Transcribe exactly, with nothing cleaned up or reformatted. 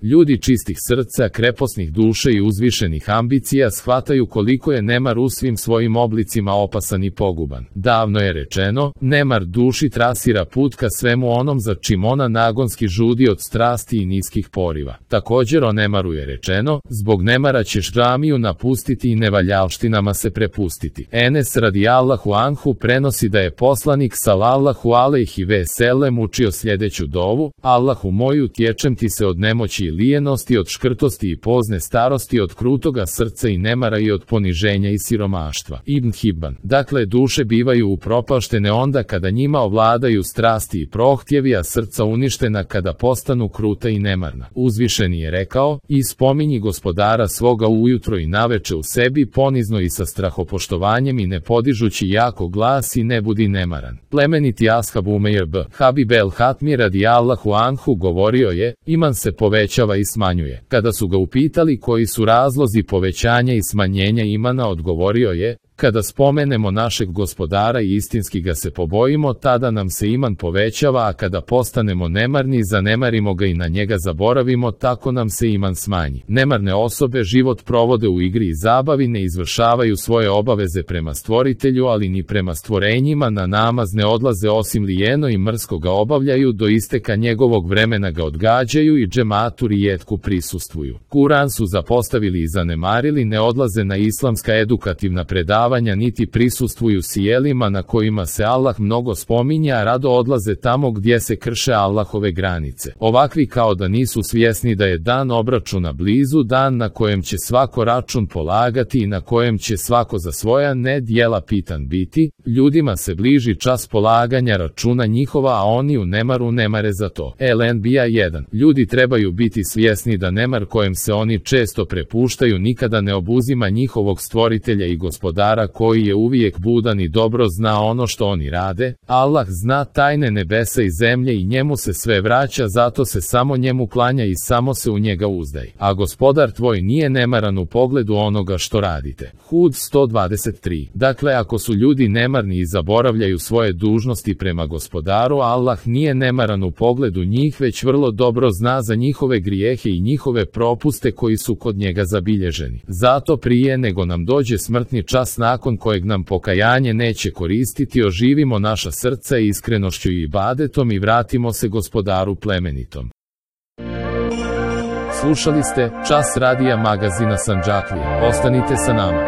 Ljudi čistih srca, kreposnih duše i uzvišenih ambicija shvataju koliko je nemar u svim svojim oblicima opasan i poguban. Davno je rečeno, nemar duši trasira put ka svemu onom za čim ona nagonski žudi od strasti i niskih poriva. Također o nemaru je rečeno, zbog nemara ćeš džamiju napustiti i nevaljalštinama se prepustiti. Enes radijallahu anhu prenosi da je poslanik sallallahu alejhi ve sellem učio sljedeću dovu: Allahu moj, utječem ti se od nemoći i lijenosti, od škrtosti i pozne starosti, od krutoga srca i nemara i od poniženja i siromaštva. Ibn Hibban. Dakle, duše bivaju upropaštene onda kada njima ovladaju strasti i prohtjevi, a srca uništena kada postanu kruta i nemarna. Uzvišeni je rekao: i spominji gospodara svoga ujutro i naveče u sebi, ponizno i sa strahopoštovanjem i ne podižući jako glas, i ne budi nemaran. Plemeniti ashab Umejr b. Habib el Hatmi radijallahu anhu govorio je: iman se povećava i smanjuje. Kada su ga upitali koji su razlozi povećanja i smanjenja imana, odgovorio je: kada spomenemo našeg gospodara i istinski ga se pobojimo, tada nam se iman povećava, a kada postanemo nemarni, zanemarimo ga i na njega zaboravimo, tako nam se iman smanji. Nemarne osobe život provode u igri i zabavi, ne izvršavaju svoje obaveze prema stvoritelju, ali ni prema stvorenjima, na namaz ne odlaze osim lijeno i mrsko ga obavljaju, do isteka njegovog vremena ga odgađaju i džematu rijetku prisustvuju. Kuran su zapostavili i zanemarili, ne odlaze na islamska edukativna predavanja, niti prisustvuju sjelima na kojima se Allah mnogo spominje, a rado odlaze tamo gdje se krše Allahove granice. Ovakvi kao da nisu svjesni da je dan obračuna blizu, dan na kojem će svako račun polagati i na kojem će svako za svoja nedjela pitan biti. Ljudima se bliži čas polaganja računa njihova, a oni u nemaru nemare za to. el en be a jedan. Ljudi trebaju biti svjesni da nemar kojem se oni često prepuštaju nikada ne obuzima njihovog stvoritelja i gospodara, koji je uvijek budan i dobro zna ono što oni rade. Allah zna tajne nebesa i zemlje i njemu se sve vraća, zato se samo njemu klanja i samo se u njega uzdaj. A gospodar tvoj nije nemaran u pogledu onoga što radite. Hud sto dvadeset tri. Dakle, ako su ljudi nemarni i zaboravljaju svoje dužnosti prema gospodaru, Allah nije nemaran u pogledu njih, već vrlo dobro zna za njihove grijehe i njihove propuste koji su kod njega zabilježeni. Zato prije nego nam dođe smrtni čas nakon kojeg nam pokajanje neće koristiti, oživimo naša srca iskrenošću i ibadetom i vratimo se gospodaru plemenitom. Slušali ste Čas radija magazina Sandžaklija. Ostanite sa nama.